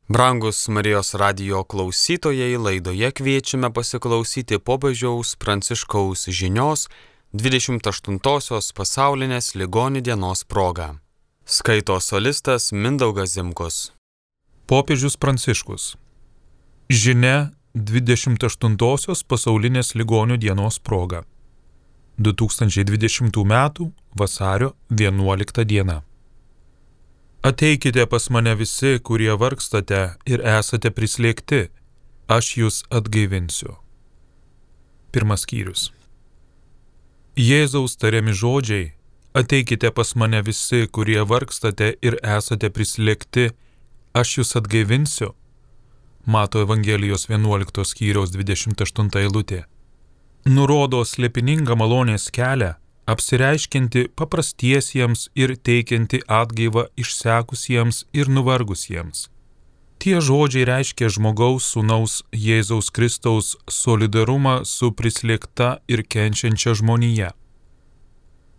Brangus Marijos radijo klausytojai, laidoje kviečiame pasiklausyti popiežiaus Pranciškaus žinios 28-osios pasaulinės ligonių dienos proga. Skaito solistas Mindaugas Zimkus. Popiežius Pranciškus. Žinia 28-osios pasaulinės ligonių dienos proga. 2020 m. vasario 11 diena. Ateikite pas mane visi, kurie vargstate ir esate prislėgti, aš jūs atgaivinsiu. Pirmas skyrius. Jėzaus tariami žodžiai, ateikite pas mane visi, kurie vargstate ir esate prislėgti, aš jūs atgaivinsiu. Mato Evangelijos 11 skyriaus 28 eilutė. Nurodo slėpiningą malonės kelią, apsireiškinti paprastiesiems ir teikianti atgaivą išsekusiems ir nuvargusiems. Tie žodžiai reiškia žmogaus sūnaus Jėzaus Kristaus solidarumą su prislėgta ir kenčiančia žmonija.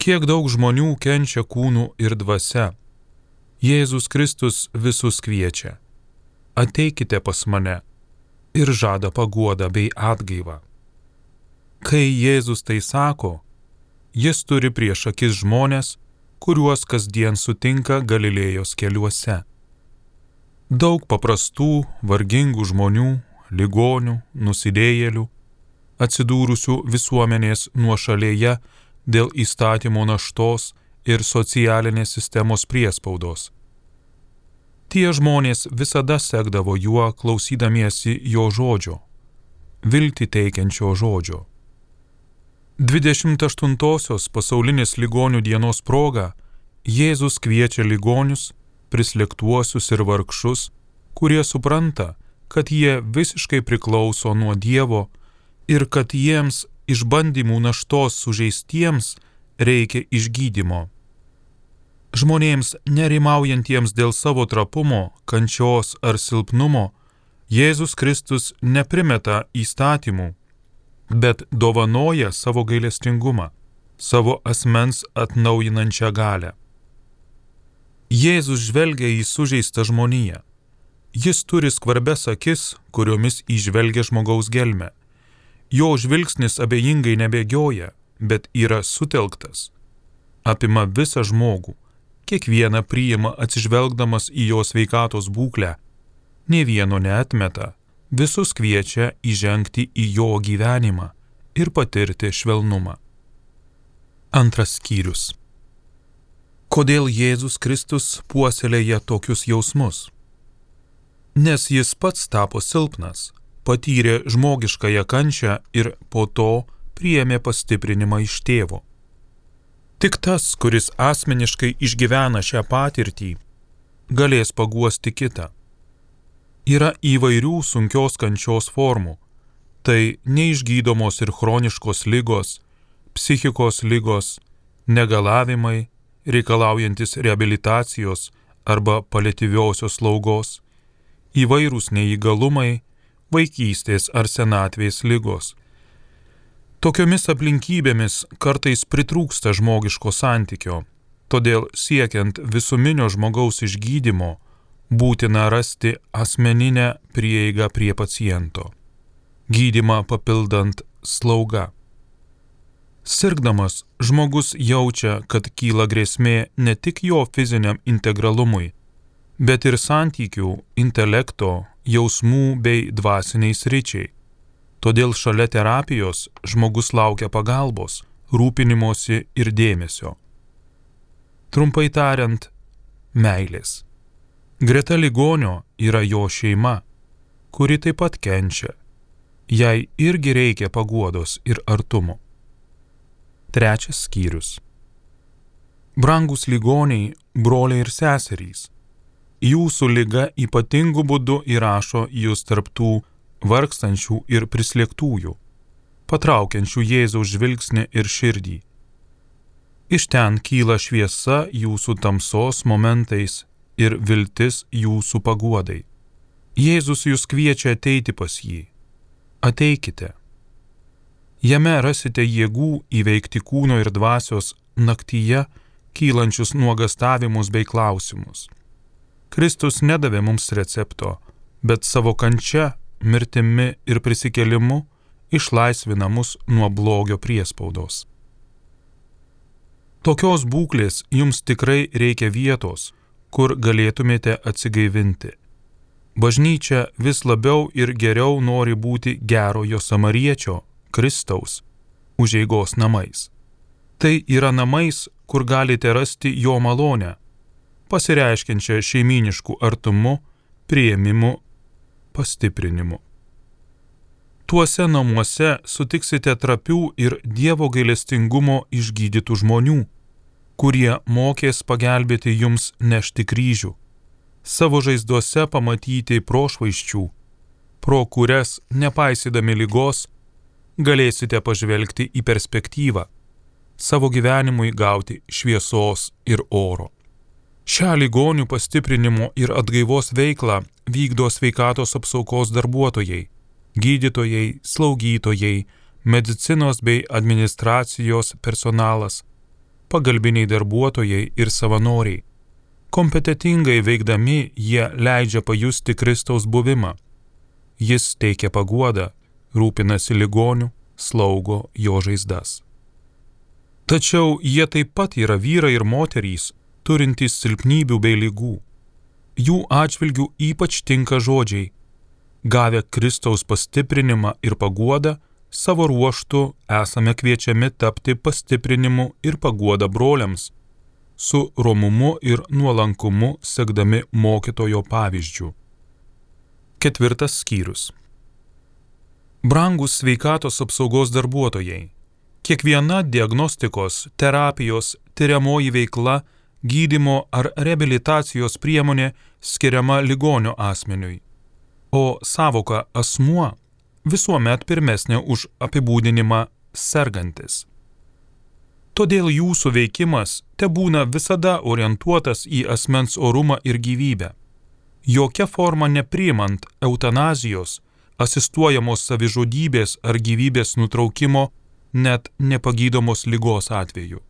Kiek daug žmonių kenčia kūnu ir dvasia. Jėzus Kristus visus kviečia. Ateikite pas mane ir žada paguodą bei atgaivą. Kai Jėzus tai sako, Jis turi prieš akis žmonės, kuriuos kasdien sutinka Galilėjos keliuose. Daug paprastų, vargingų žmonių, ligonių, nusidėjėlių, atsidūrusių visuomenės nuošalėje dėl įstatymo naštos ir socialinės sistemos priespaudos. Tie žmonės visada sekdavo juo klausydamiesi jo žodžio, viltį teikiančio žodžio. 28-osios pasaulinės ligonių dienos proga Jėzus kviečia ligonius, prislėgtuosius ir vargšus, kurie supranta, kad jie visiškai priklauso nuo Dievo ir kad jiems išbandymų naštos sužeistiems reikia išgydymo. Žmonėms nerimaujantiems dėl savo trapumo, kančios ar silpnumo, Jėzus Kristus neprimeta įstatymų, bet dovanoja savo gailestingumą, savo asmens atnaujinančią galią. Jėzus žvelgia į sužeistą žmoniją. Jis turi skvarbias akis, kuriomis įžvelgia žmogaus gelmę. Jo žvilgsnis abejingai nebėgioja, bet yra sutelktas. Apima visą žmogų, kiekvieną priima atsižvelgdamas į jo sveikatos būklę, nė vieno neatmeta. Visus kviečia įžengti į jo gyvenimą ir patirti švelnumą. Antras skyrius. Kodėl Jėzus Kristus puoselėja tokius jausmus? Nes jis pats tapo silpnas, patyrė žmogiškąją kančią ir po to priėmė pastiprinimą iš tėvo. Tik tas, kuris asmeniškai išgyvena šią patirtį, galės paguosti kitą. Yra įvairių sunkios kančios formų. Tai neišgydomos ir chroniškos ligos, psichikos ligos, negalavimai, reikalaujantis reabilitacijos arba paliatyviosios slaugos, įvairūs neįgalumai, vaikystės ar senatvės ligos. Tokiomis aplinkybėmis kartais pritrūksta žmogiško santykio, todėl siekiant visuminio žmogaus išgydymo, būtina rasti asmeninę prieigą prie paciento, gydymą papildant slauga. Sirgdamas, žmogus jaučia, kad kyla grėsmė ne tik jo fiziniam integralumui, bet ir santykių, intelekto, jausmų bei dvasiniai sričiai. Todėl šalia terapijos žmogus laukia pagalbos, rūpinimosi ir dėmesio. Trumpai tariant, meilės. Greta ligonio yra jo šeima, kuri taip pat kenčia. Jai irgi reikia paguodos ir artumo. Trečias skyrius. Brangūs ligoniai, broliai ir seserys, jūsų liga ypatingu būdu įrašo jūs tarp tų vargstančių ir prislėgtųjų, patraukiančių Jėzaus žvilgsnį ir širdį. Iš ten kyla šviesa jūsų tamsos momentais ir viltis jūsų paguodai. Jėzus jūs kviečia ateiti pas jį. Ateikite. Jame rasite jėgų įveikti kūno ir dvasios naktyje kylančius nuogastavimus bei klausimus. Kristus nedavė mums recepto, bet savo kančia, mirtimi ir prisikėlimu išlaisvina mus nuo blogio priespaudos. Tokios būklės jums tikrai reikia vietos, kur galėtumėte atsigaivinti. Bažnyčia vis labiau ir geriau nori būti gerojo samariečio, Kristaus, užeigos namais. Tai yra namais, kur galite rasti jo malonę, pasireiškiančią šeimynišku artumu, priėmimu, pastiprinimu. Tuose namuose sutiksite trapių ir Dievo gailestingumo išgydytų žmonių, kurie mokės pagelbėti jums nešti kryžių, savo žaizduose pamatyti prošvaisčių, pro kurias, nepaisydami ligos, galėsite pažvelgti į perspektyvą, savo gyvenimui gauti šviesos ir oro. Šią ligonių pastiprinimo ir atgaivos veiklą vykdo sveikatos apsaugos darbuotojai, gydytojai, slaugytojai, medicinos bei administracijos personalas, pagalbiniai darbuotojai ir savanoriai. Kompetentingai veikdami jie leidžia pajusti Kristaus buvimą. Jis teikia paguodą, rūpinasi ligoniu, slaugo jo žaizdas. Tačiau jie taip pat yra vyrai ir moterys, turintys silpnybių bei ligų. Jų atžvilgių ypač tinka žodžiai: gavę Kristaus pastiprinimą ir paguodą, savo ruožtu esame kviečiami tapti pastiprinimu ir paguoda broliams, su romumu ir nuolankumu sekdami mokytojo pavyzdžiu. 4 skyrius. Brangūs sveikatos apsaugos darbuotojai, kiekviena diagnostikos, terapijos, tiriamoji veikla, gydymo ar reabilitacijos priemonė skiriama ligonio asmeniui, o sąvoka asmuo visuomet pirmesnė už apibūdinimą sergantis. Todėl jūsų veikimas tebūna visada orientuotas į asmens orumą ir gyvybę, jokia forma nepriimant eutanazijos, asistuojamos savižudybės ar gyvybės nutraukimo, net nepagydomos ligos atveju.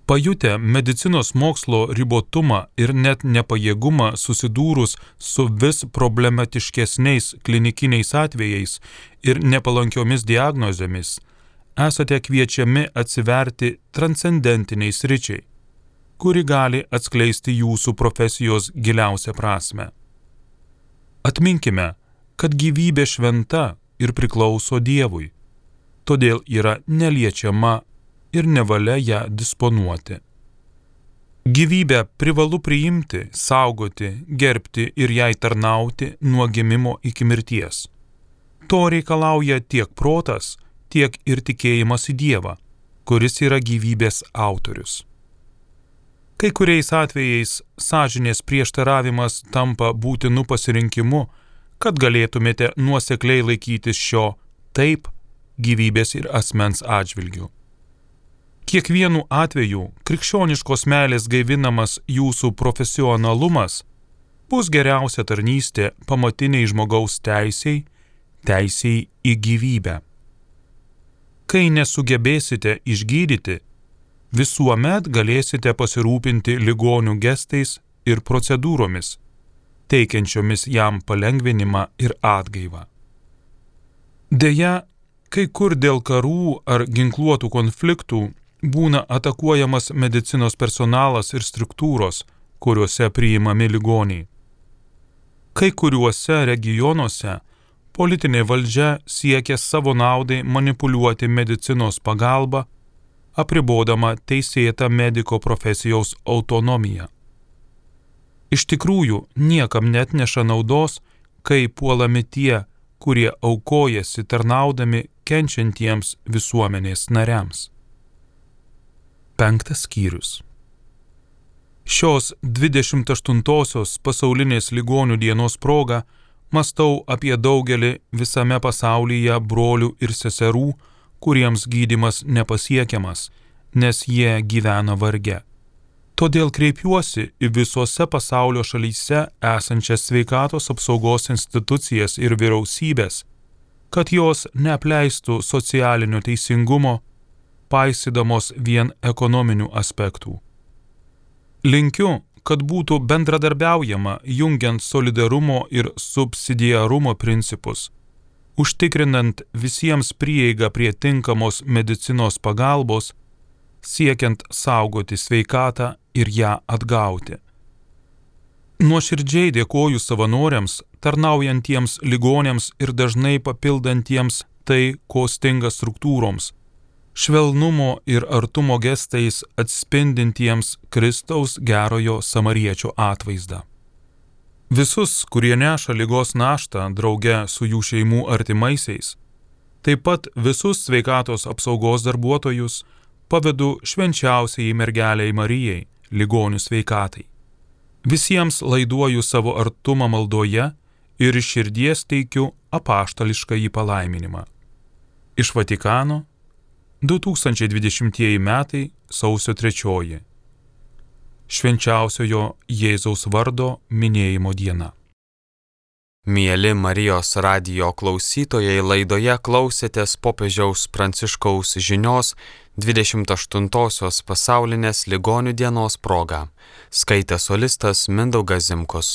Pajutę medicinos mokslo ribotumą ir net nepajėgumą susidūrus su vis problematiškesniais klinikiniais atvejais ir nepalankiomis diagnozėmis, esate kviečiami atsiverti transcendentiniai sričiai, kuri gali atskleisti jūsų profesijos giliausią prasmę. Atminkime, kad gyvybė šventa ir priklauso Dievui, todėl yra neliečiama ir nevalia ją disponuoti. Gyvybę privalu priimti, saugoti, gerbti ir jai tarnauti nuo gimimo iki mirties. To reikalauja tiek protas, tiek ir tikėjimas į Dievą, kuris yra gyvybės autorius. Kai kuriais atvejais sąžinės prieštaravimas tampa būtinu pasirinkimu, kad galėtumėte nuosekliai laikytis šio taip gyvybės ir asmens atžvilgių. Kiekvienu atveju krikščioniškos meilės gaivinamas jūsų profesionalumas bus geriausia tarnystė pamatiniai žmogaus teisei į gyvybę. Kai nesugebėsite išgydyti, visuomet galėsite pasirūpinti ligonių gestais ir procedūromis, teikiančiomis jam palengvinimą ir atgaivą. Deja, kai kur dėl karų ar ginkluotų konfliktų būna atakuojamas medicinos personalas ir struktūros, kuriuose priimami ligoniai. Kai kuriuose regionuose politinė valdžia siekia savo naudai manipuliuoti medicinos pagalbą, apribodama teisėtą mediko profesijos autonomiją. Iš tikrųjų, niekam neatneša naudos, kai puolami tie, kurie aukojasi tarnaudami kenčiantiems visuomenės nariams. 5 skyrius. Šios 28-osios pasaulinės ligonių dienos proga mąstau apie daugelį visame pasaulyje brolių ir seserų, kuriems gydymas nepasiekiamas, nes jie gyvena varge. Todėl kreipiuosi į visose pasaulio šalyse esančias sveikatos apsaugos institucijas ir vyriausybės, kad jos neapleistų socialinio teisingumo, paisydamos vien ekonominių aspektų. Linkiu, kad būtų bendradarbiaujama jungiant solidarumo ir subsidiarumo principus, užtikrinant visiems prieigą prie tinkamos medicinos pagalbos, siekiant saugoti sveikatą ir ją atgauti. Nuoširdžiai dėkoju savanoriams, tarnaujantiems ligoniams ir dažnai papildantiems tai, ko stinga struktūroms, švelnumo ir artumo gestais atspindintiems Kristaus gerojo samariečio atvaizdą. Visus, kurie neša ligos naštą drauge su jų šeimų artimaisiais, taip pat visus sveikatos apsaugos darbuotojus pavedu švenčiausiai mergelei Marijai, ligonių sveikatai. Visiems laiduoju savo artumą maldoje ir iš širdies teikiu apaštališkąjį palaiminimą. Iš Vatikano 2020 metai sausio 3. Švenčiausiojo Jėzaus vardo minėjimo diena. Mieli Marijos radijo klausytojai, laidoje klausėtės popiežiaus Pranciškaus žinios 28-osios pasaulinės ligonių dienos proga. Skaitė solistas Mindaugas Zimkus.